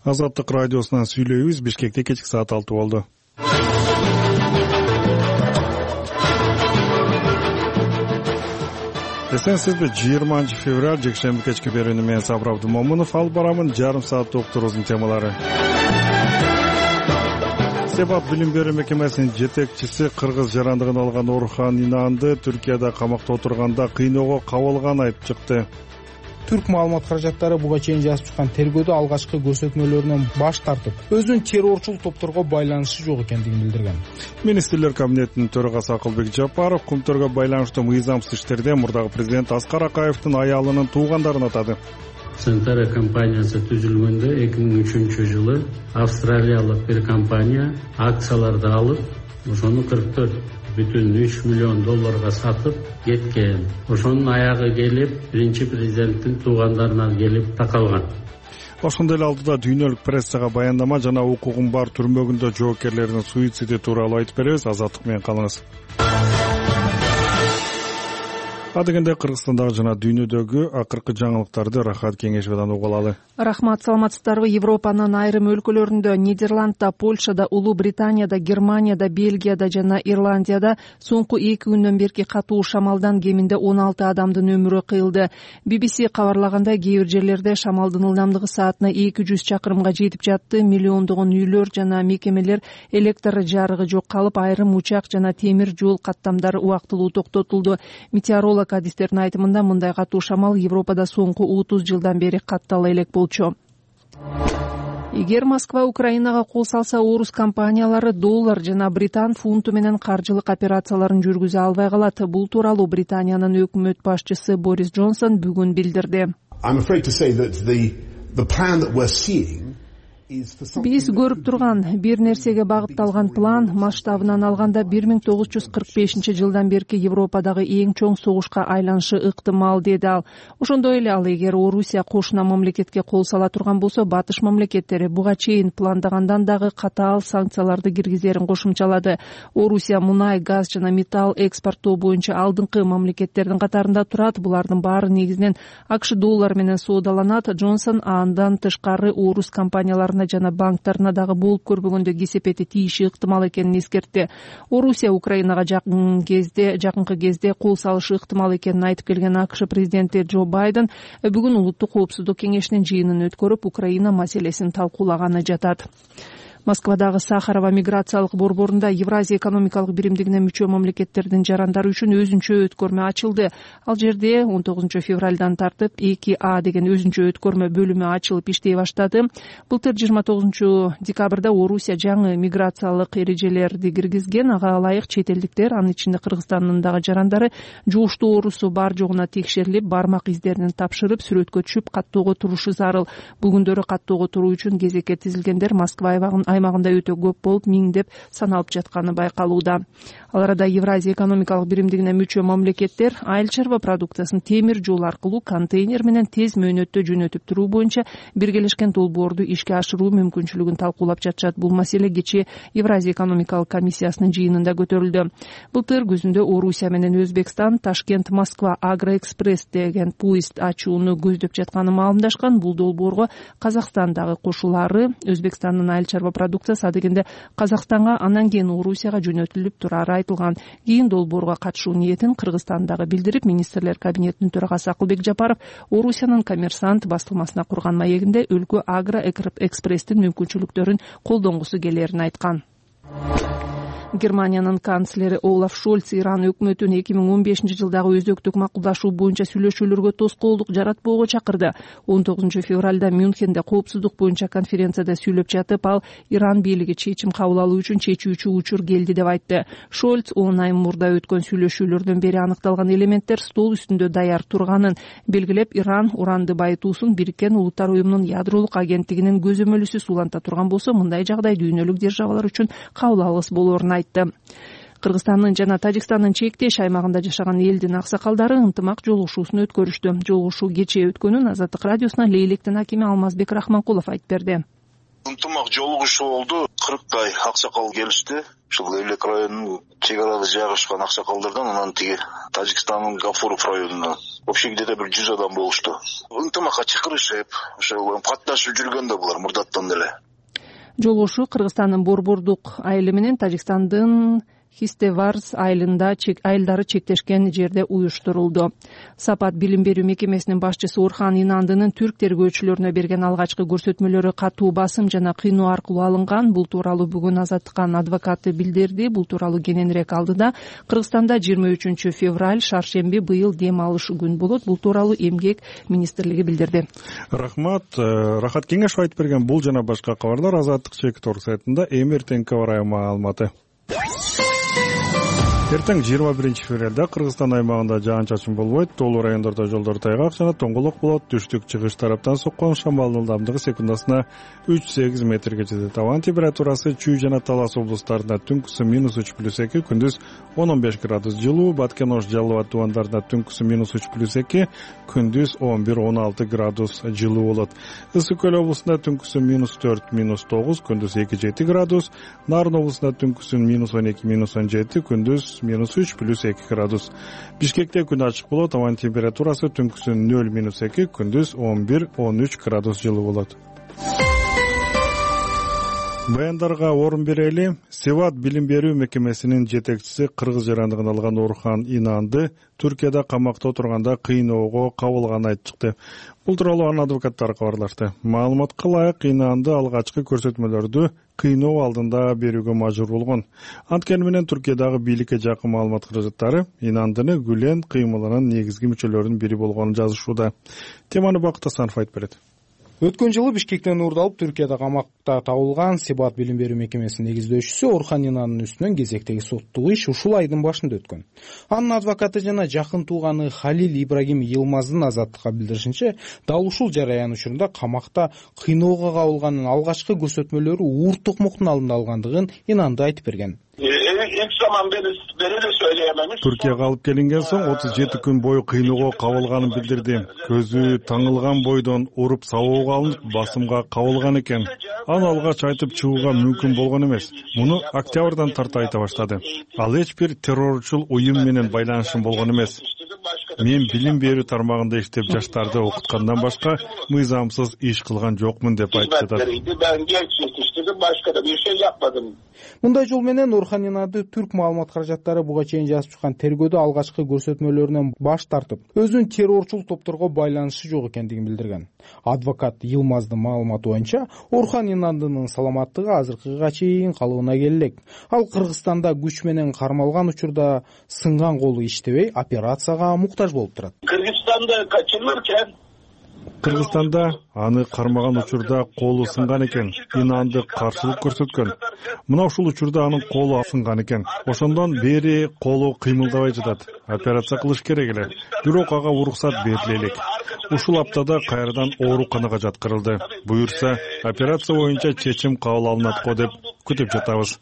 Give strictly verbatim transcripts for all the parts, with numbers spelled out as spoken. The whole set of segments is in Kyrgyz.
Азаттык радиосунан сүйлөйбүз. Бишкекте кечки саат алты болду. Эсенсизби? жыйырманчы февраль жекшемби кечки берүүнү мен Сабыр Абдымомунов алып барамын. Жарым саат уктуруубуздун темалары. Себап билим берүү мекемесинин жетекчиси кыргыз жарандыгын алган Орхан Инанды Түркияда камакта отурганда кыйноого кабылган айтып чыкты. Түрк маалымат каражаттары буга чейин жазып чыккан тергөөдө алгачкы көрсөтмөлөрүнөн баш тартып, өзүнүн террорчул топторго байланышы жок экендигин билдирген. Министрлер кабинетинин төрагасы Акылбек Жапаров Кумтөргө байланыштуу мыйзамсыз иштерде мурдагы президент Аскар Акаевдин аялынын туугандарын атады. Сентара компаниясы түзүлгөндө эки миң үчүнчү жылы австралиялык бир компания акцияларды алып, ошону кырк төрт бүтүн үч миллион долларга сатып кеткен. Ошонун аягы келип, биринчи президенттин туугандарына келип такалган. Ошондой эле алдыда дүйнөлүк прессага баяндама жана укугум бар түрмөгүндө жоокерлердин суициди тууралуу айтып беребиз. Азаттык менен калыңыз. Адегенде Кыргызстандагы жана дүйнөдөгү акыркы жаңылыктарды Рахат Кеңешовдон угуп алалы. Рахмат, саламатсыздарбы? Европанын айрым өлкөлөрүндө, Нидерландда, Польшада, Улуу Британияда, Германияда, Бельгияда жана Ирландияда соңку эки күндөн берки катуу шамалдан кеминде он алты адамдын өмүрү кыйылды. би би си кабарлагандай, кээ бир жерлерде шамалдын ылдамдыгы саатына эки жүз чакырымга жетип жатты. Миллиондогон үйлөр жана мекемелер электр жарыгы жок калып, айрым учак жана темир жол каттамдары убактылуу токтотулду. Метеоролог адистердин айтымында, мындай катуу шамал Европада соңку отуз жылдан бери каттала элек болчу. Эгер Москва Украинага кол салса, орус компаниялары доллар жана британ фунту менен каржылык операцияларын жүргүзө албай калат. Бул тууралуу Британиянын өкмөт башчысы Борис Джонсон бүгүн билдирди. Биз көрүп турган бир нерсеге багытталган план масштабынан алганда бир миң тогуз жүз кырк бешинчи жылдан берки Европадагы эң чоң согушка айланышы ыктымал, деди ал. Ошондой эле ал, эгер Орусия кошуна мамлекетке кол сала турган болсо, батыш мамлекеттери буга чейин пландагандан дагы катаал санкцияларды киргизерин кошумчалады. Орусия мунай, газ жана металл экспорттоо боюнча алдыңкы мамлекеттердин катарында турат. Булардын баары негизинен АКШ доллары менен соодаланат. Джонсон андан тышкары орус компанияларына жана банктарына дагы болуп көрбөгөндө кесепети тийиши ыктымал экенин эскертти. Орусия Украинага жакын кезде, жакынкы кезде кол салышы ыктымал экенин айтып келген АКШ президенти Джо Байден бүгүн улуттук коопсуздук кеңешинин жыйынын өткөрүп, Украина маселесин талкуулаганы жатат. Москвадагы Сахарова миграциялык борборунда Евразия экономикалык биримдигине мүчө мамлекеттердин жарандары үчүн өзүнчө өткөрмө ачылды. Ал жерде он тогузунчу февралдан тартып эки А деген өзүнчө өткөрмө бөлүмү ачылып иштей баштады. Былтыр жыйырма тогузунчу декабрда Орусия жаңы миграциялык эрежелерди киргизген. Ага ылайык чет элдиктер, анын ичинде Кыргызстандын дагы жарандары жугуштуу оорусу бар жогуна текшерилип, бармак издерин тапшырып, сүрөткө түшүп каттоого турушу зарыл. Бул күндөрү каттоого туруу үчүн кезекке тизилгендер Москва аймагында өтө көп болуп, миңдеп саналып жатканы байкалууда. Ал арада Евразия экономикалык биримдигине мүчө мамлекеттер айыл чарба продукциясын темир жол аркылуу контейнер менен тез мөөнөттө жөнөтүп туруу боюнча биргелешкен долбоорду ишке ашыруу мүмкүнчүлүгүн талкуулап жатышат. Бул маселе кечээ Евразия экономикалык комиссиясынын жыйынында көтөрүлдү. Былтыр күзүндө Орусия менен Өзбекстан Ташкент-Москва Агроэкспресс деген поезд ачууну көздөп жатканын маалымдашкан. Бул долбоорго Казакстандагы кошулары, Өзбекстандын айыл чарба продукциясы адегенде Казакстанга, анан кийин Орусияга жөнөтүлүп турары айтылган. Кийин долбоорго катышуу ниетин Кыргызстандагы билдирип, министрлер кабинетинин төрагасы Акылбек Жапаров Орусиянын Коммерсант бастырмасына курган маегинде өлкө Агроэкспресстин мүмкүнчүлүктөрүн колдонгусу келерин айткан. Германиянын канцлери Олаф Шольц Иран өкмөтүн эки миң он бешинчи жылдагы өзөктүк макулдашуу боюнча сүйлөшүүлөргө тоскоолдук жаратпоого чакырды. он тогузунчу февралда Мюнхенде коопсуздук боюнча конференцияда сүйлөп жатып, ал Иран бийлиги чечим кабыл алуу үчүн чечүүчү учур келди деп айтты. Шольц он ай мурда өткөн сүйлөшүүлөрдөн бери аныкталган элементтер стол үстүндө даяр турганын белгилеп, Иран уранды байытуусун Бириккен Улуттар уюмунун ядролук агенттигинин көзөмөлүсүз уланта турган болсо, мындай жагдай дүйнөлүк державалар үчүн кабыл алгыс болоорун айтты. Кыргызстандын жана Тажикстандын чектеш аймагында жашаган элдин аксакалдары ынтымак жолугушуусун өткөрүштү. Жолугушуу кечээ өткөнүн Азаттык радиосуна Лейлектин акими Алмазбек Рахманкулов айтып берди. Ынтымак жолугушуу болду. кырктай аксакал келишти. ушул Элек районунун чек арада жайгашкан аксакалдардан, анан тиги Тажикстандын Гафуров районунан вообще где-то бир жүз адам болушту. Ынтымакка чакырышып, ошо катташып жүргөн да булар мурдаттан деле. Жолугушуу Кыргызстандын Борбордук айылы менен Тажикстандын Хистеварс айылында айылдары чектешкен жерде уюштурулду. Сапат билим берүү мекемесинин башчысы Орхан Инандынын түрк тергөөчүлөрүнө берген алгачкы көрсөтмөлөрү катуу басым жана кыйноо аркылуу алынган. Бул тууралуу бүгүн Азаттыктын адвокаты билдирди. Бул тууралуу кененирээк алдыда Кыргызстанда жыйырма үчүнчү февраль шаршемби быйыл дем алыш күн болот. Бул тууралуу Эмгек министрлиги билдирди. Рахмат. Рахат Кеңешов айтып берген бул жана башка кабарлар Азаттык чек.орг сайтында эми эртеңки аба ырайы маалыматы. Эртең жыйырма биринчи февралда Кыргызстан аймагында жаан-чачын болбойт, тоолуу райондордо жолдор тайгак жана тоңголок болот. Түштүк-чыгыш тараптан соккон шамалдын ылдамдыгы секундасына үч сегиз метрге жетет. Абанын температурасы Чүй жана Талас облустарында түнкүсү минус үч плюс эки, күндүз он он беш градус жылуу, Баткен Ош Жалал Абад тубандарында түнкүсү минус үч плюс эки, күндүз он бир он алты градус жылуу болот. Ысык Көл облусунда түнкүсү минус төрт минус тогуз, күндүз эки жети градус, Нарын облусунда түнкүсү минус он эки минус он жети, күндүз минус үч плюс эки градус. Бишкекте күн ачык болот, абанын температурасы түнкүсү нөл минус эки, күндүз он бир он үч градус жылуу болот. Баяндарга орун берели. Севат билим берүү мекемесинин жетекчиси кыргыз жарандыгын алган Орхан Инанды Түркияда камакта отурганда кыйноого кабылганын айтып чыкты. Бул тууралуу анын адвокаттары кабарлашты. Маалыматка ылайык Инанды алгачкы көрсөтмөлөрдү кыйноо алдында берүүгө мажбур болгон. Анткени менен Түркиядагы бийликке жакын маалымат каражаттары Инандыны Гүлен кыймылынын негизги мүчөлөрүнүн бири болгонун жазышууда. Теманы Бакыт Асанов айтып берет. Өткөн жылы Бишкектен уурдалып Түркияда камакта табылган Себат билим берүү мекемесинин негиздөөчүсү Орхан Инандын үстүнөн кезектеги соттук иш ушул айдын башында өткөн. Анын адвокаты жана жакын тууганы Халил Ибрагим Йылмаздын Азаттыкка билдиришинче, дал ушул жараян учурунда камакта кыйноого кабылганын алгачкы көрсөтмөлөрү Уурт Токмоктун алдында алгандыгын Инанды айтып берген. Түркияга алып келинген соң отуз жети күн бою кыйноого кабылганын билдирди. Көзү таңылган бойдон уруп сабоого алынып, басымга кабылган экен. Аны алгач айтып чыгууга мүмкүн болгон эмес. Муну октябрдан тарта айта баштады. Ал эч бир террорчул уюм менен байланышым болгон эмес. Мен билим берүү тармагында иштеп жаштарды окуткандан башка мыйзамсыз иш кылган жокмун деп айтып жатат. Мындай жол менен Орхан Инанды түрк маалымат каражаттары буга чейин жазып чыккан тергөөдө алгачкы көрсөтмөлөрүнөн баш тартып, өзүнүн террорчул топторго байланышы жок экендигин билдирген. Адвокат Йылмаздын маалыматы боюнча, Орхан Инандынын саламаттыгы азыркыга чейин калыбына келе элек. Ал Кыргызстанда күч менен кармалган учурда сынган колу иштебей, операцияга муктаж болуп турат. Кыргызстанда качылыркен Кыргызстанда аны кармаган учурда колу сынган экен. Инанды каршылык көрсөткөн. Мына ушул учурда анын колу сынган экен. Ошондон бери колу кыймылдабай жатат. Операция кылыш керек эле. Бирок ага уруксат бериле элек. Ушул аптада кайрадан ооруканага жаткырылды. Буюрса, операция боюнча чечим кабыл алынат го деп күтүп жатабыз.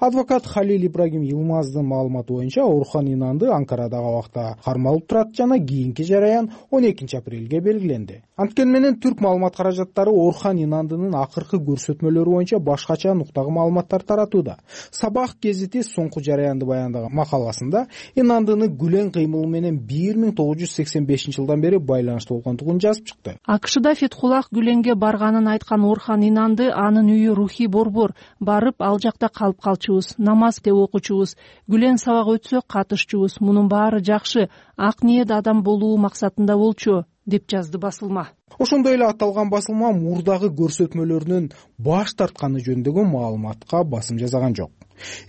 Адвокат Халил Ибрагим Йылмаздын маалыматы боюнча, Орхан Инанды Анкарадагы абакта кармалып турат жана кийинки жараян он экинчи апрелге белгиленди. Анткени менен түрк маалымат каражаттары Орхан Инандынын акыркы көрсөтмөлөрү боюнча башкача нуктагы маалыматтар таратууда. Сабах гезити соңку жараянды баяндаган макаласында Инандыны Гүлен кыймылы менен бир миң тогуз жүз сексен бешинчи жылдан бери байланыштуу болгондугун жазып чыкты. АКШда Фетхуллах Гүленге барганын айткан Орхан Инанды анын үйү рухий борбор, барып ал жакта калып калчубуз, намаз деп окучубуз, Гүлен сабак өтсө катышчубуз, мунун баары жакшы, ак ниет адам болуу максатында болчу, деп жазды басылма. Ошондой эле аталган басылма мурдагы көрсөтмөлөрүнөн баш тартканы жөнүндөгү маалыматка басым жасаган жок.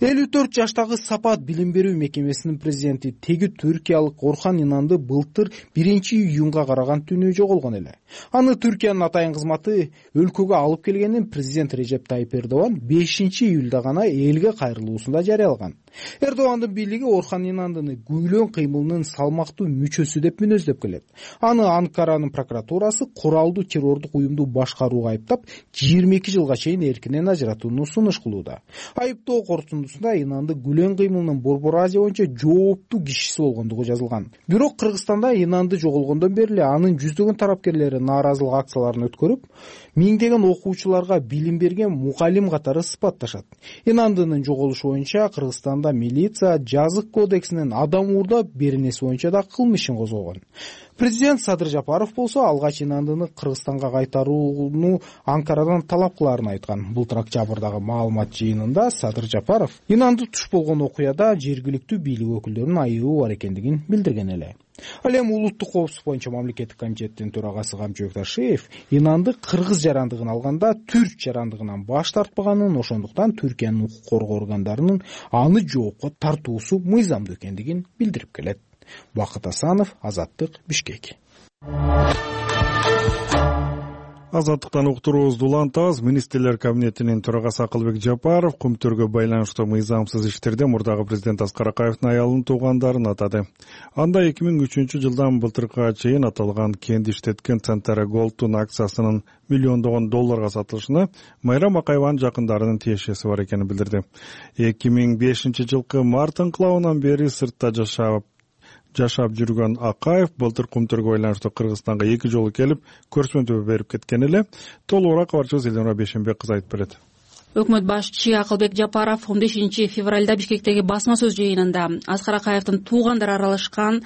элүү төрт жаштагы Сапат билим берүү мекемесинин президенти теги түркиялык Орхан Инанды былтыр биринчи июнга караган түнү жоголгон эле. Аны Түркиянын атайын кызматы өлкөгө алып келгенин президент Режеп Тайип Эрдоган бешинчи июлда гана элге кайрылуусунда жарыялаган. Эрдогандын бийлиги Орхан Инандыны күйлөн кыймылынын салмактуу мүчөсү деп мүнөздөп келет. Аны Анкаранын прокуратурасы куралдуу террордук уюмду башкарууга айыптап, жыйырма эки жылга чейин эркинен ажыратууну сунуш кылууда. Айыптоо корутундусунда Инанды күлөн кыймылынын Борбор Азия боюнча жооптуу кишиси болгондугу жазылган. Бирок Кыргызстанда Инанды жоголгондон бери эле анын жүздөгөн тарапкерлери нааразылык акцияларын өткөрүп, миңдеген окуучуларга билим берген мукалим катары сыпатташат. Инандынын жоголушу боюнча Кыргызстанда милиция жазык кодексинин адам уурдап беренеси боюнча да кылмыш ишин козгогон. Президент Садыр Жапаров болсо алгач Инандыны Кыргызстанга кайтарууну Анкарадан талап кылаарын айткан. Былтыр октябрдагы маалымат жыйынында Садыр Жапаров Инанды туш болгон окуяда жергиликтүү бийлик өкүлдөрүнүн айыбы бар экендигин билдирген эле. Ал эми улуттук коопсуздук боюнча мамлекеттик комитеттин төрагасы Камчыбек Ташиев Инанды кыргыз жарандыгын алганда түрк жарандыгынан баш тартпаганын, ошондуктан Түркиянын укук коргоо органдарынын аны жоопко тартуусу мыйзамдуу экендигин билдирип келет. Бакыт Асанов, Азаттык, Бишкек. Азаттыктан уктуруубузду улантабыз. Министрлер кабинетинин төрагасы Акылбек Жапаров Кумтүргө байланыштуу мыйзамсыз иштерде мурдагы президент Аскар Акаевдин аялынын туугандарын атады. Анда эки миң үчүнчү жылдан былтыркыга чейин аталган кенди иштеткен Центера Голдтун акциясынын миллиондогон долларга сатылышына Майрам Акаеванын жакындарынын тиешеси бар экенин билдирди. эки миң бешинчи жылкы март инкылабынан бери сыртта жашап жашап жүргөн Акаев былтыр Кумтүргө байланыштуу Кыргызстанга эки жолу келип, көрсөтмө берип кеткен эле. Толугураак кабарчыбыз Элнура Бешенбек кызы айтып берет. Өкмөт башчысы Акылбек Жапаров он бешинчи февралда Бишкектеги басма сөз жыйынында Аскар Акаевдин туугандары аралашкан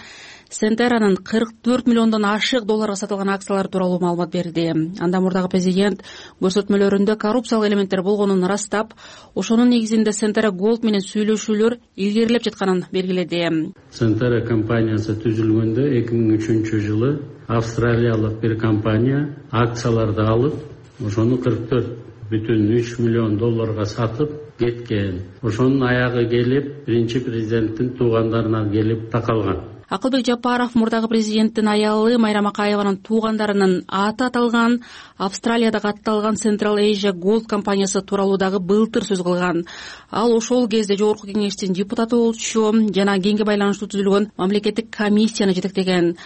Центеранын кырк төрт миллиондон ашык долларга сатылган акциялары тууралуу маалымат берди. Анда мурдагы президент көрсөтмөлөрүндө коррупциялык элементтер болгонун ырастап, ошонун негизинде Центера Голд менен сүйлөшүүлөр илгерилеп жатканын белгиледи. Центера компаниясы түзүлгөндө эки миң үчүнчү жылы австралиялык бир компания акцияларды алып, ошону кырк төрт бүтүн үч миллион долларга сатып кеткен. Ошонун аягы келип, биринчи президенттин туугандарына келип такалган. Акылбек Жапаров мурдагы президенттин аялы Майрам Акаеванын туугандарынын аты аталган Австралияда катталган Central Asia Gold компаниясы тууралуу дагы былтыр сөз кылган. Ал ошол кезде жогорку кеңештин депутаты болчу жана кеңге байланыштуу түзүлгөн мамлекеттик комиссияны жетектеген.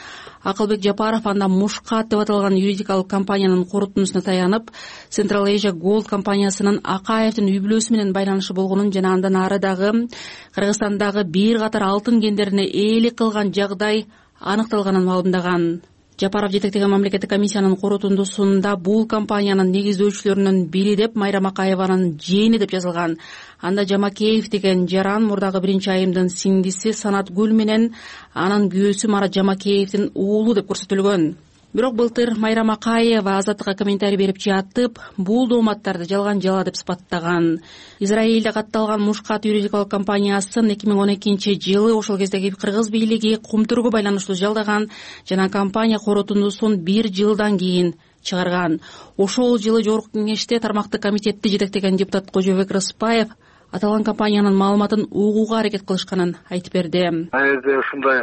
Акылбек Жапаров анда Мушкат деп аталган юридикалык компаниянын корутундусуна таянып, Central Asia Gold компаниясынын Акаевдин үй бүлөсү менен байланышы болгонун жана андан ары дагы Кыргызстандагы бир катар алтын кендерине ээлик кылган жагдай аныкталганын маалымдаган. Жапаров жетектеген мамлекеттик комиссиянын корутундусунда бул компаниянын негиздөөчүлөрүнүн бири деп Майрам Акаеванын жээни деп жазылган. Анда Жамакеев деген жаран мурдагы биринчи айымдын сиңдиси Санатгүл менен анын күйөөсү Марат Жамакеевдин уулу деп көрсөтүлгөн. Бирок былтыр Майрам Акаева Азаттыкка комментарий берип жатып, бул дооматтарды жалган жала деп сыпаттаган. Израилде катталган Мушкат юридикалык компаниясын эки миң он экинчи жылы ошол кездеги кыргыз бийлиги Кумтүргө байланыштуу жалдаган жана компания корутундусун бир жылдан кийин чыгарган. Ошол жылы жогорку кеңеште тармактык комитетти жетектеген депутат Кожобек Рыспаев аталган компаниянын маалыматын угууга аракет кылышканын айтып берди. Айда ушундай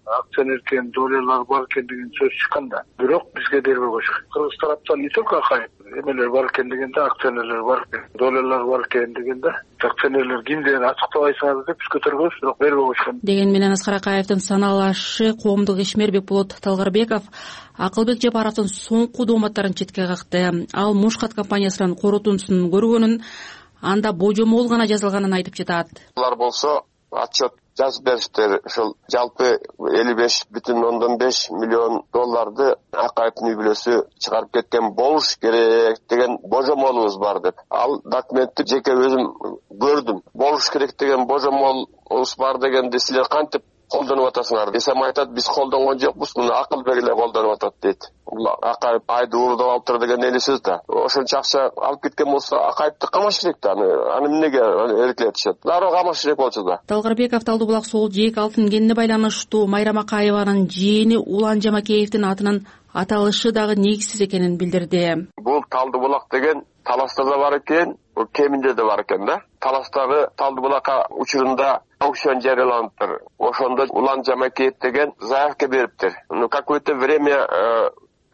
акционерден долларлар бар экендигин сөз чыкканда, бирок бизге дербөгөч. Кыргыз тараптан не только Акаев, эмелер бар экендигинде, акционерлер бар, долларлар бар экендигинде, акционерлер ким деген ачыктабайсыңар деп биз көтөргөнбүз, бирок бербөгөчкөн. Деген менен Аскар Акаевдин саналашы коомдук ишмер Бекболот Талгарбеков Акылбек Жапаровдун соңку дооматтарын четке какты. Ал Мушкат компаниясынын корутундусун көргөнүн, анда божомол гана жазылганын айтып жатат. Алар болсо отчет жазып бериштер. Ошол жалпы элүү беш бүтүн ондон беш миллион долларды Акаевдин үй бүлөсү чыгарып кеткен болуш керек деген божомолубуз бар деп. Ал документти жеке өзүм көрдүм. Болуш керек деген божомолубуз бар дегенди силер кантип колдонуп атасыңар десем, айтат, биз колдонгон жокпуз, муну Акылбек эле колдонуп атат дейт. Акаев айды уурдап алыптыр деген эле сөз да. Ошончо акча алып кеткен болсо Акаевди камаш керек да. Аны эмнеге эркелетишет? Дароо камаш керек болчу да. Талгарбеков Талдуу булак Соол жээк алтын кенине байланыштуу Майрам Акаеванын жээни Улан Жамакеевдин атынын аталышы дагы негизсиз экенин билдирди. Бул Талдуу булак деген Таласта да бар экен, Кеминде да бар экен да. Таластагы Талдуу булакка учурунда аукцион жарыяланыптыр. Ошондо Улан Жамакеев деген заявка бериптир. Ну какое-то время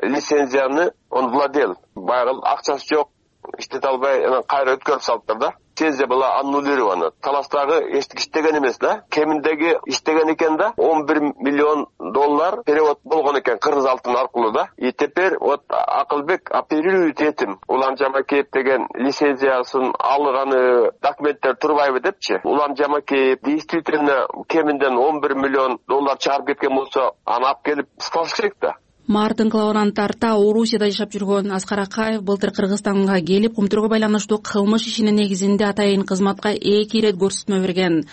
лицензияны он владел. Байгыл акчасы жок, иштете албай, анан кайра өткөрүп салыптыр да. лицензия была аннулирована. Таластагы эчтик иштеген эмес да. Кеминдеги иштеген экен да. он бир миллион доллар перевод болгон экен кыргыз алтын аркылуу да. И теперь вот Акылбек оперирует этим. Улан Жамакеев деген лицензиясын алганы документтер турбайбы депчи. Улан Жамакеев действительно кеминден он бир миллион доллар чыгарып кеткен болсо, аны алып келип сатыш керек да. Мартын клабынан тарта Орусияда жашап жүргөн Аскар Акаев былтыр Кыргызстанга келип, Кумтурга байланыштуу кылмыш ишинин негизинде атайын кызматка эки ирет көрсөтмө берген.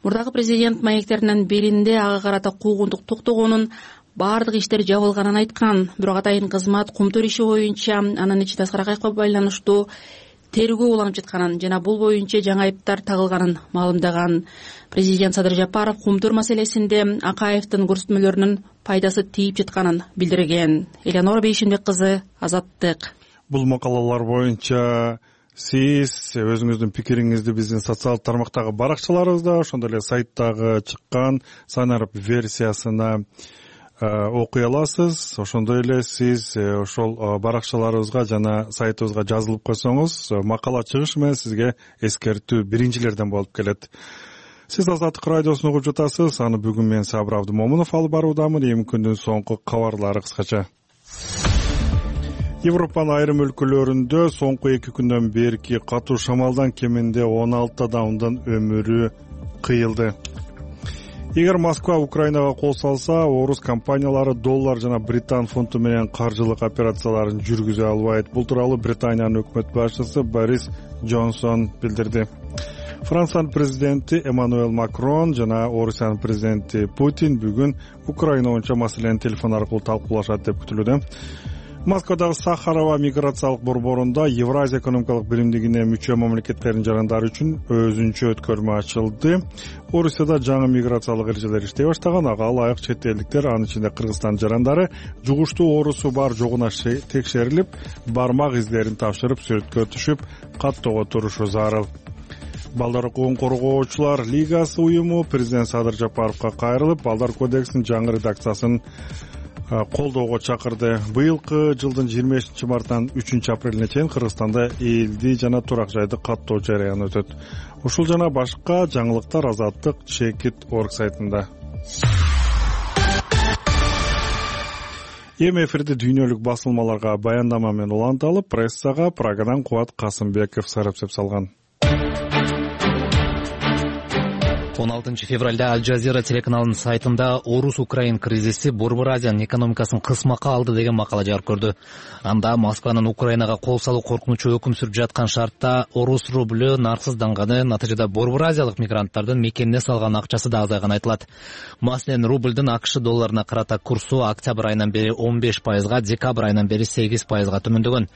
Мурдагы президент маектеринин биринде ага карата куугунтук токтогонун, бардык иштер жабылганын айткан. Бирок атайын кызмат Кумтур иши боюнча анын ичинде Аскар Акаевге байланыштуу тергөө уланып жатканын жана бул боюнча жаңы айыптар тагылганын маалымдаган. Президент Садыр Жапаров Кумтур маселесинде Акаевдин көрсөтмөлөрүнүн пайдасы тийип жатканын билдирген. Элеонора Бейшенбек кызы, Азаттык. Бул макалалар боюнча сиз өзүңүздүн пикириңизди биздин социалдык тармактагы баракчаларыбызда, ошондой эле сайттагы чыккан санарып версиясына окуй аласыз. Ошондой эле сиз ошол баракчаларыбызга жана сайтыбызга жазылып койсоңуз, макала чыгышы менен сизге эскертүү биринчилерден болуп келет. Сиз Азаттык радиосун угуп жатасыз. Аны бүгүн мен Сабыр Абдымомунов алып баруудамын. Эми күндүн соңку кабарлары кыскача. Европанын айрым өлкөлөрүндө соңку эки күндөн берки катуу шамалдан кеминде он алты адамдын өмүрү кыйылды. Эгер Москва Украинага кол салса, орус компаниялары доллар жана британ фунту менен каржылык операцияларын жүргүзө албайт. Бул тууралуу Британиянын өкмөт башчысы Борис Джонсон билдирди. Франциянын президенти Эммануэль Макрон жана Орусиянын президенти Путин бүгүн Украина боюнча маселени телефон аркылуу талкуулашат деп күтүлүүдө. Москвадагы Сахарова миграциялык борборунда Евразия экономикалык биримдигине мүчө мамлекеттердин жарандары үчүн өзүнчө өткөрмө ачылды. Орусияда жаңы миграциялык эрежелер иштей баштаган. Ага ылайык чет элдиктер, анын ичинде Кыргызстан жарандары жугуштуу оорусу бар жогуна текшерилип, бармак издерин тапшырып, сүрөткө түшүп, каттоого турушу зарыл. Балдар укугун коргоочулар лигасы уюму президент Садыр Жапаровго кайрылып, Балдар кодексинин жаңы редакциясын колдоого чакырды. Быйылкы жылдын жыйырма бешинчи мартынан үчүнчү апрелине чейин Кыргызстанда элди жана турак жайды каттоо жарыяны өтөт. Ушул жана башка жаңылыктар Азаттык Чекит орг сайтында. Эми эфирде дүйнөлүк басылмаларга баяндама менен уланталып, прессага Прагадан Кубат Касымбеков сарапсеп салган. он алтынчы февралда Аль Жазира телеканалынын сайтында Орус-Украин кризиси Борбор Азиянын экономикасын кысмакка алды деген макала жарык көрдү. Анда Москванын Украинага кол салуу коркунучу өкүм сүрүп жаткан шартта орус рублю нарксызданганы, натыйжада Борбор Азиялык мигранттардын мекенине салган акчасы да азайганы айтылат. Маселен, рубльдин АКШ долларына карата курсу октябрь айынан бери он беш пайызга, декабрь айынан бери сегиз пайызга төмөндөгөн.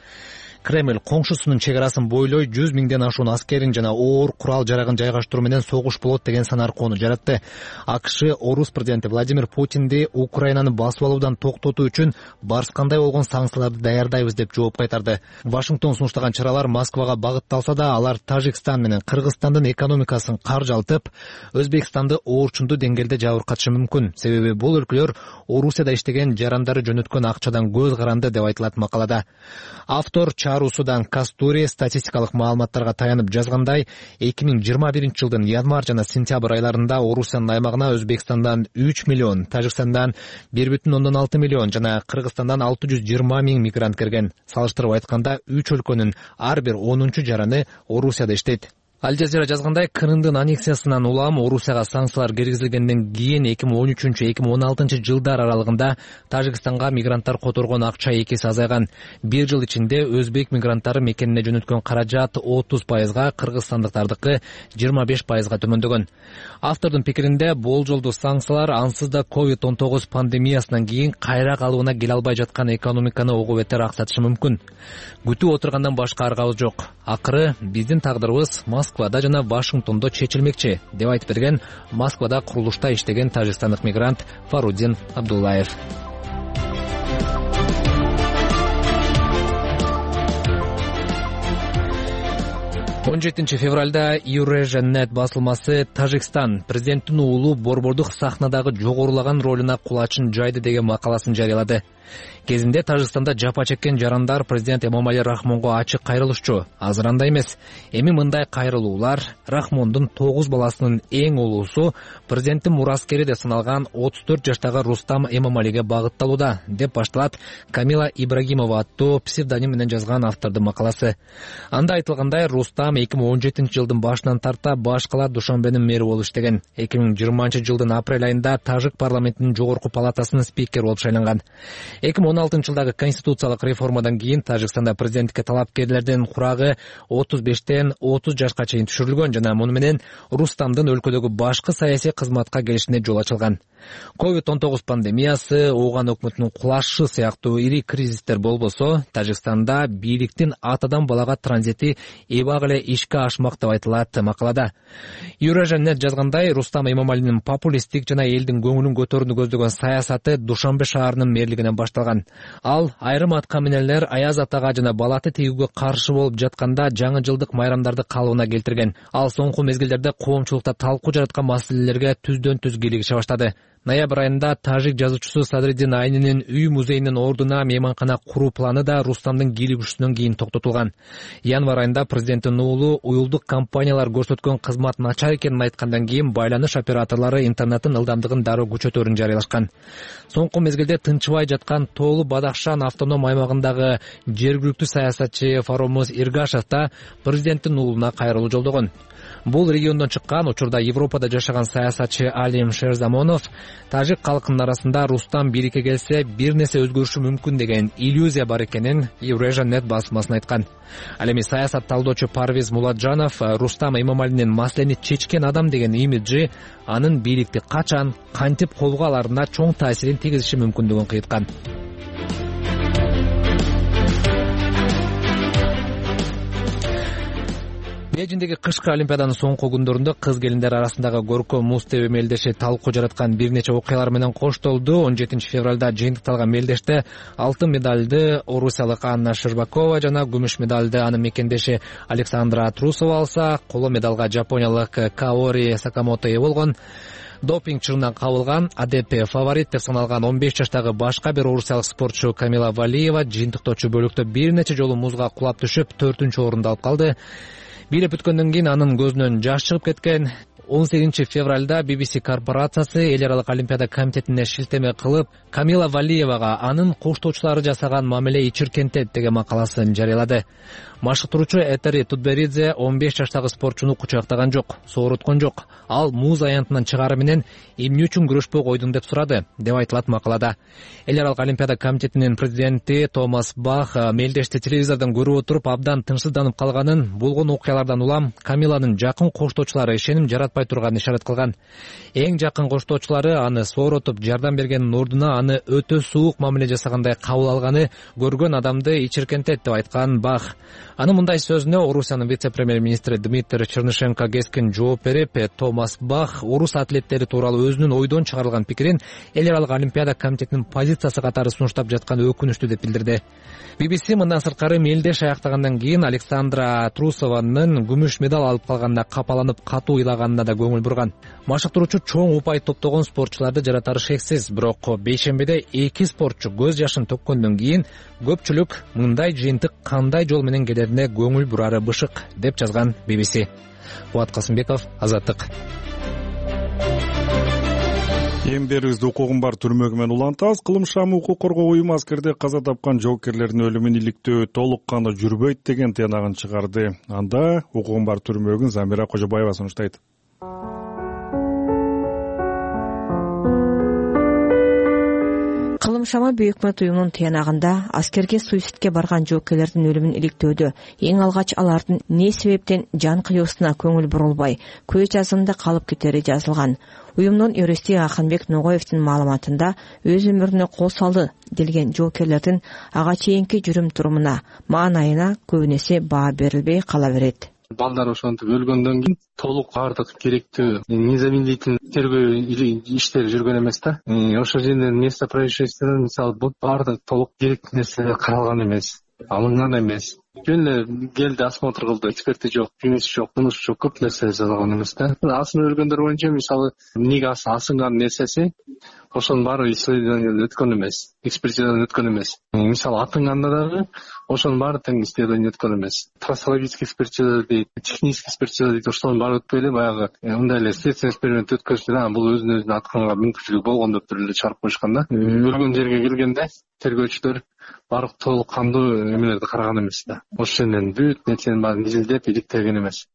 Кремль коңшусунун чек арасын бойлой жүз миңден ашуун аскерин жана оор курал жарагын жайгаштыруу менен согуш болот деген санаркоону жаратты. АКШ орус президенти Владимир Путинди Украинаны басып алуудан токтотуу үчүн барскандай болгон санкцияларды даярдайбыз деп жооп кайтарды. Вашингтон сунуштаган чаралар Москвага багытталса да, алар Тажикстан менен Кыргызстандын экономикасын каржалтып, Өзбекстанды оорчундуу деңгээлде жабыркатышы мүмкүн. Себеби бул өлкөлөр Орусияда иштеген жарандары жөнөткөн акчадан көз каранды деп айтылат макалада. Автор Чарусудан Кастури статистикалык маалыматтарга таянып жазгандай, эки миң жыйырма биринчи жылдын январь жана сентябрь айларында Орусиянын аймагына Өзбекстандан үч миллион, Тажикстандан бир бүтүн ондон алты миллион жана Кыргызстандан алты жүз жыйырма миң мигрант кирген. Салыштырып айтканда, үч өлкөнүн ар бир онунчу жараны Орусияда иштейт. Аль Жазира жазгандай, Крымдын аннексиясынан улам Орусияга санкциялар киргизилгенден кийин эки миң он үчүнчү эки миң он алтынчы жылдар аралыгында Тажикстанга мигранттар которгон акча эки эсе азайган. Бир жыл ичинде өзбек мигранттары мекенине жөнөткөн каражат отуз пайызга, кыргызстандыктардыкы жыйырма беш пайызга төмөндөгөн. Автордун пикиринде, болжолдуу санкциялар ансыз да ковид он тогуз пандемиясынан кийин кайра калыбына келе албай жаткан экономиканы ого бетер аксатышы мүмкүн. Күтүп отургандан башка аргабыз жок. Акыры биздин тагдырыбыз Москвада жана Вашингтондо чечилмекчи, деп айтып берген Москвада курулушта иштеген тажикстандык мигрант Фаруддин Абдуллаев. он жетинчи февралда Eurasia Net басылмасы Тажикстан президенттин уулу борбордук сахнадагы жогорулаган ролуна кулачын жайды деген макаласын жарыялады. Кезинде Тажикстанда жапа чеккен жарандар президент Эмомали Рахмонго ачык кайрылышчу. Азыр андай эмес. Эми мындай кайрылуулар Рахмондун тогуз баласынын эң улуусу президенттин мураскери деп саналган отуз төрт жаштагы Рустам Эмомалиге багытталууда, деп башталат Камила Ибрагимова аттуу псевдоним менен жазган автордун макаласы. Анда айтылгандай, Рустам эки миң он жетинчи жылдын башынан тарта баш кала Душанбенин мэри болуп иштеген. эки миң жыйырманчы жылдын апрель айында Тажик парламентинин жогорку палатасынын спикери болуп шайланган. эки миң он алтынчы жылдагы конституциялык реформадан кийин Тажикстанда президенттикке талапкерлердин курагы отуз бештен отуз жашка чейин түшүрүлгөн жана муну менен Рустамдын өлкөдөгү башкы саясий кызматка келишине жол ачылган. ковид он тогуз пандемиясы, Ооган өкмөтүнүн кулашы сыяктуу ири кризистер болбосо, Тажикстанда бийликтин атадан балага транзити эбак эле ишке ашмак деп айтылат макалада. Юражанет жазгандай, Рустам Эмомалинин популисттик жана элдин көңүлүн көтөрүүнү көздөгөн саясаты Душанбе шаарынын мэрлигинен башталган. Ал айрым аткаминерлер Аяз атага жана балаты тийүүгө каршы болуп жатканда жаңы жылдык майрамдарды калыбына келтирген. Ал соңку мезгилдерде коомчулукта талкуу жараткан маселелерге түздөн түз кийлигише баштады. Ноябрь айында тажик жазуучусу Садриддин Айнинин үй музейинин ордуна мейманкана куруу планы да Рустамдын кийлигишүүнөн кийин токтотулган. Январь айында президенттин уулу уюлдук компаниялар көрсөткөн кызмат начар экенин айткандан кийин байланыш операторлору интернеттин ылдамдыгын дароо күчөтөөрүн жарыялашкан. Соңку мезгилде тынчыбай жаткан Тоолу Бадахшан автоном аймагындагы жергиликтүү саясатчы Фаромуз Иргашев да президенттин уулуна кайрылуу жолдогон. Бул региондон чыккан, учурда Европада жашаган саясатчы Алим Шерзамонов тажик калкынын арасында Рустам бийликке келсе бир нерсе өзгөрүшү мүмкүн деген иллюзия бар экенин Еврожанет басмасына айткан. Ал эми саясат талдоочу Парвиз Муладжанов Рустам Эмомалинин маселени чечкен адам деген имиджи анын бийликти качан, кантип колго аларына чоң таасирин тийгизиши мүмкүндүгүн кыйткан. Бейжиндеги кышкы олимпиаданын соңку күндөрүндө кыз келиндер арасындагы көркөм муз тебүү мелдеши талкуу жараткан бир нече окуялар менен коштолду. он жетинчи февралда жыйынтыкталган мелдеште алтын медалды орусиялык Анна Щербакова жана күмүш медалды анын мекендеши Александра Трусова алса, коло медалга жапониялык Каори Сакамото ээ болгон. Допинг чырынан кабылган А Д П фаворит деп саналган он беш жаштагы башка бир орусиялык спортчу Камила Валиева жыйынтыктоочу бөлүктө бир нече жолу музга кулап түшүп төртүнчү орунду алып калды. Бийлеп бүткөндөн кийин анын көзүнөн жаш чыгып кеткен. он сегизинчи февралда Би Би Си корпорациясы эл аралык олимпиада комитетине шилтеме кылып, Камила Валиевага анын коштоочулары жасаган мамиле ичиркентет деген макаласын жарыялады. Машыктыруучу Этери Тутберидзе он беш жаштагы спортчуну кучактаган жок, сооруткон жок. Ал муз аянтынан чыгары менен эмне үчүн күрөшпөй койдуң деп сурады, деп айтылат макалада. Эл аралык олимпиада комитетинин президенти Томас Бах мелдешти телевизордон көрүп отуруп абдан тынчсызданып калганын, болгон окуялардан улам Камиланын жакын коштоочулары ишеним жаратпай турганын ишарат кылган. Эң жакын коштоочулары аны сооротуп жардам бергенин ордуна аны өтө суук мамиле жасагандай кабыл алганы көргөн адамды ичиркентет деп айткан Бах. Анын мындай сөзүнө Орусиянын вице-премьер-министри Дмитрий Чернышенко кескин жооп берип, Томас Бах орус атлеттери тууралуу өзүнүн ойдон чыгарылган пикирин эл аралык олимпиада комитетинин позициясы катары сунуштап жатканы өкүнүчтүү деп билдирди. Би Би Си мындан сырткары мелдеш аяктагандан кийин Александра Трусованын күмүш медаль алып калганына капаланып катуу ыйлаганына да көңүл бурган. Машыктыруучу чоң упай топтогон спортчуларды жаратары шексиз, бирок бейшембиде эки спортчу көз жашын төккөндөн кийин көпчүлүк мындай жыйынтык кандай жол менен келерине көңүл бурары бышык, деп жазган Би Би Си. Кубат Касымбеков, Азаттык. Эмдерибизди укугун бар түрмөгү менен улантабыз. Кылымшам укук коргоо уюму аскерде каза тапкан жоокерлердин өлүмүн иликтөө толук кандуу жүрбөйт деген тыянагын чыгарды. Анда укугун бар түрмөгүн Замира Кожобаева сунуштайт. Кылымшама Бейөкмөт уюмунун тыянагында аскерге суицидке барган жоокерлердин өлүмүн иликтөөдө эң алгач алардын эмне себептен жан кыюусуна көңүл бурулбай, көз жазымында калып кетери жазылган. Уюмдун юристи Аханбек Ногоевдин маалыматында өз өмүрүнө кол салды делген жоокерлердин ага чейинки жүрүм турумуна, маанайына көбүнесе баа берилбей кала берет. Балдар ошентип өлгөндөн кийин толук баардык керектүү незамедлительный тергөө иштери жүргөн эмес да. Ошол жерден место происшествия мисалы бул баардык толук керектүү нерселер каралган эмес. Алынган эмес. Жөн эле келди, осмотр кылды, эксперти жок, кеңеши жок, мунушу жок, көп нерсе жазылган эмес да. Асынып өлгөндөр боюнча мисалы эмнеге асынган нерсеси ошонун баары исследованиядан өткөн эмес, экспертизадан өткөн эмес. Мисалы атынганда дагы ошонун баары тең исследование өткөн эмес. Трассологический экспертиза дейт, технический экспертиза дейт, ошонун баары өтпөй эле баягы мындай эле следственный эксперимент өткөзүп, а бул өзүн өзүнө атканга мүмкүнчүлүгү болгон деп эле чыгарып коюшкан да. Өлгөн жерге келгенде тергөөчүлөр баардык толук кандуу эмелерди караган эмес да. Ошол жерден бүт нерсенин баарын изилдеп иликтеген эмес.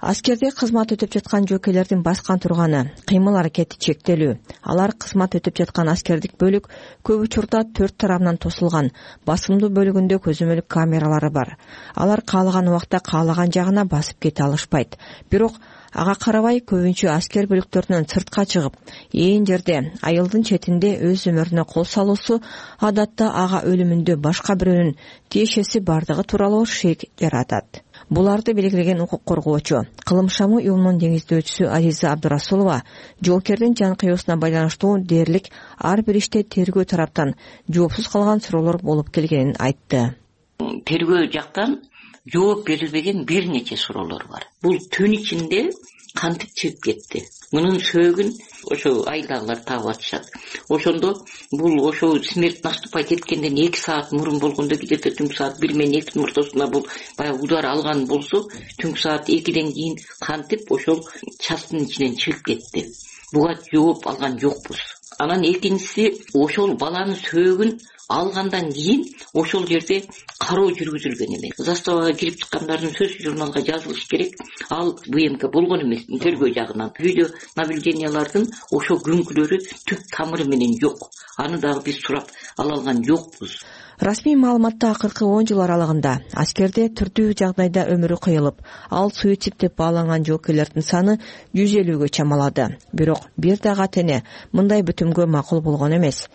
Аскерде кызмат өтүп жаткан жөөкелердин баскан турганы, кыймыл аракети чектелүү. Алар кызмат өтүп жаткан аскердик бөлүк көп учурда төрт тарабынан тосулган, басымдуу бөлүгүндө көзөмөлүк камералары бар. Алар каалаган убакта каалаган жагына басып кете алышпайт. Бирок ага карабай көбүнчө аскер бөлүктөрүнөн сыртка чыгып, ээн жерде айылдын четинде өз өмүрүнө кол салуусу адатта ага өлүмүндө башка бирөөнүн тиешеси бардыгы тууралуу шек жаратат. Буларды белгилеген укук коргоочу, Кылымшамы уюмунун деңиздөөчүсү Азиза Абдурасулова жоокердин жан кыюусуна байланыштуу дээрлик ар бир иште тергөө тараптан жоопсуз калган суроолор болуп келгенин айтты. Тергөө жактан жооп берилбеген бир нече суроолор бар. Бул түн ичинде кантип чыгып кетти? Мунун сөөгүн ошо айылдагылар таап атышат. Ошондо бул ошо смерть наступать эткенден эки саат мурун болгондо, где-то түнкү саат бир менен экинин ортосунда бул баягы удар алган болсо, түнкү саат экиден кийин кантип ошол частын ичинен чыгып кетти? Буга жооп алган жокпуз. Анан экинчиси, ошол баланын сөөгүн алгандан кийин ошол жерде кароо жүргүзүлгөн эмес. Заставага кирип чыккандардын сөзү журналга жазылыш керек. Ал ВМК болгон эмес, тергөө жагынан. Видео наблюдениялардын ошо күнкүлөрү түп тамыры менен жок. Аны дагы биз сурап ала алган жокпуз. Расмий маалыматта акыркы он жыл аралыгында аскерде түрдүү жагдайда өмүрү кыйылып, ал суицид деп бааланган жоокерлердин саны жүз элүүгө чамалады. Бирок бир дагы ата-эне мындай бүтүмгө макул болгон эмес.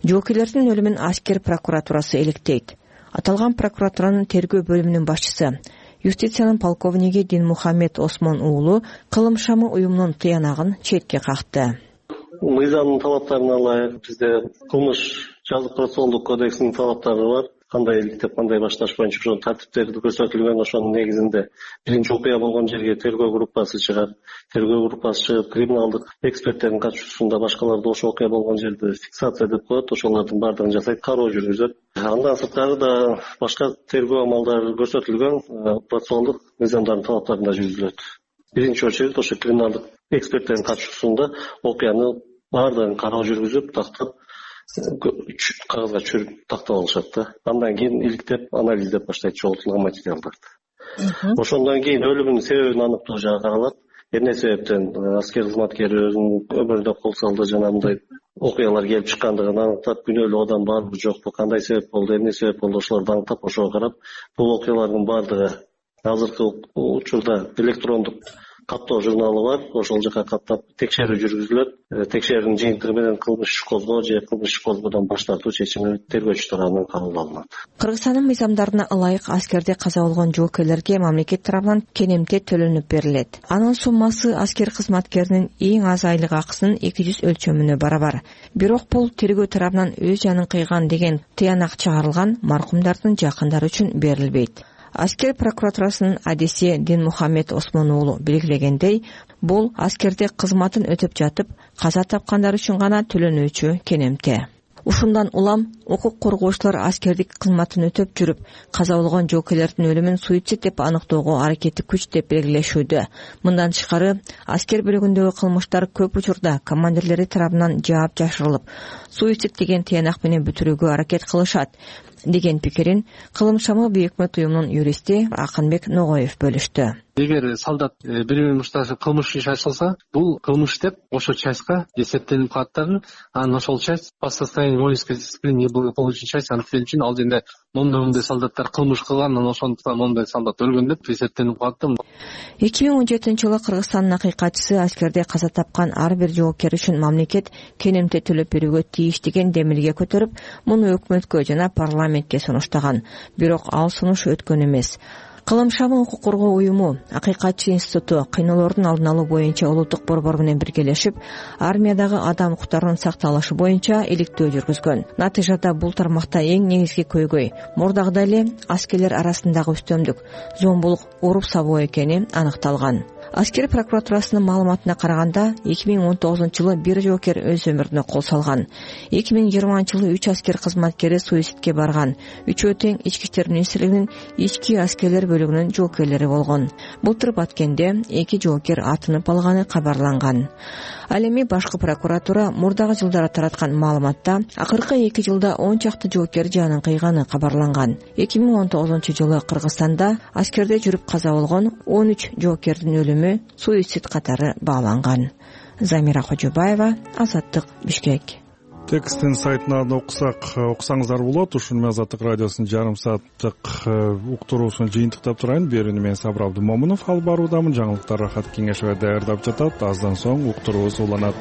Жоокерлердин өлүмүн аскер прокуратурасы электейт. Аталган прокуратуранын тергөө бөлүмүнүн башчысы, юстициянын полковниги Динмухамед Осмон уулу Кылымшамы уюмунун тыянагын четке какты. Мыйзамдын талаптарына ылайык бизде кылмыш жазык процессуалдык кодексинин талаптары бар. Кандай иликтеп, кандай башташ боюнча ошонун тартиптери көрсөтүлгөн. Ошонун негизинде биринчи окуя болгон жерге тергөө группасы чыгат. Тергөө группасы чыгып, криминалдык эксперттердин катышуусунда башкаларды ошо окуя болгон жерде фиксация деп коет. Ошолордун баардыгын жасайт, кароо жүргүзөт. Андан сырткары да башка тергөө амалдары көрсөтүлгөн процессуалдык мыйзамдардын талаптарында жүргүзүлөт. Биринчи очередь ошо криминалдык эксперттердин катышуусунда окуяны баардыгын кароо жүргүзүп, тактап кагазга чүрүп тактап алышат да. Андан кийин иликтеп, анализдеп баштайт чогултулган материалдарды. Ошондон кийин өлүмүнүн себебин аныктоо жагы каралат. Эмне себептен аскер кызматкери өзүнүн өмүрүнө кол салды, жана мындай окуялар келип чыккандыгын аныктап, күнөөлүү адам барбы жокпу, кандай себеп болду, эмне себеп болду, ошолорду аныктап, ошого карап, бул окуялардын баардыгы азыркы учурда электрондук каттоо журналы бар. Ошол жака каттап текшерүү жүргүзүлөт. Текшерүүнүн жыйынтыгы менен кылмыш иш козгоо же кылмыш иш козгоодон баш тартуу чечими тергөөчү тарабынан кабыл алынат. Кыргызстандын мыйзамдарына ылайык аскерде каза болгон жоокерлерге мамлекет тарабынан кенемте төлөнүп берилет. Анын суммасы аскер кызматкеринин эң аз айлык акысынын эки жүз өлчөмүнө барабар. Бирок бул тергөө тарабынан өз жанын кыйган деген тыянак чыгарылган маркумдардын жакындары үчүн берилбейт. Аскер прокуратурасынын адиси Динмухамед Осмон уулу белгилегендей, бул аскерде кызматын өтөп жатып каза тапкандар үчүн гана төлөнүүчү кенемте. Ушундан улам укук коргоочулар аскердик кызматын өтөп жүрүп каза болгон жоокерлердин өлүмүн суицид деп аныктоого аракети күч деп белгилешүүдө. Мындан тышкары аскер бөлүгүндөгү кылмыштар көп учурда командирлери тарабынан жаап жашырылып, суицид деген тыянак менен бүтүрүүгө аракет кылышат деген пикирин Кылымшамы Бейөкмөт уюмунун юристи Акынбек Ногоев бөлүштү. Эгер солдат бири мушташ кылмыш иш ачылса, бул кылмыш деп ошо частька эсептелип калат дагы. Анан ошол часть по состоянию воинской дисциплины благополучный часть анткени үчүн ал жерде мондой мондой солдаттар кылмыш кылган, анан ошондуктан мондой солдат өлгөн деп эсептелип калат. эки миң он жетинчи жылы Кыргызстандын акыйкатчысы аскерде каза тапкан ар бир жоокер үчүн мамлекет кенемте төлөп берүүгө тийиш деген демилге көтөрүп, муну өкмөткө жана парламентке сунуштаган. Бирок ал сунуш өткөн эмес. Кылым шабын укук коргоо уюму Акыйкатчы институту кыйноолордун алдын алуу боюнча улуттук борбор менен биргелешип, армиядагы адам укуктарынын сакталышы боюнча иликтөө жүргүзгөн. Натыйжада бул тармакта эң негизги көйгөй мурдагыдай эле аскерлер арасындагы үстөмдүк, зомбулук, уруп сабоо экени аныкталган. Аскер прокуратурасынын маалыматына караганда, эки миң он тогузунчу жылы бир жоокер өз өмүрүнө кол салган. эки миң жыйырманчы жылы үч аскер кызматкери суицидке барган. Үчөө тең ички иштер министрлигинин ички аскерлер бөлүгүнүн жоокерлери болгон. Былтыр Баткенде эки жоокер атынып алганы кабарланган. Ал эми башкы прокуратура мурдагы жылдары тараткан маалыматта акыркы эки жылда он чакты жоокер жанын кыйганы кабарланган. эки миң он тогузунчу жылы Кыргызстанда аскерде жүрүп каза болгон он үч жоокердин өлүмү суицид катары бааланган. Замира Кожобаева, Азаттык, Бишкек. Текстин сайтынан окусак, окусаңыздар болот. Ушуну менен Азаттык радиосунун жарым сааттык уктуруусун жыйынтыктап турайын. Берүүнү мен Сабыр Абдымомунов алып баруудамын. Жаңылыктар Рахат Кеңешева даярдап жатат. Аздан соң уктуруубуз уланат.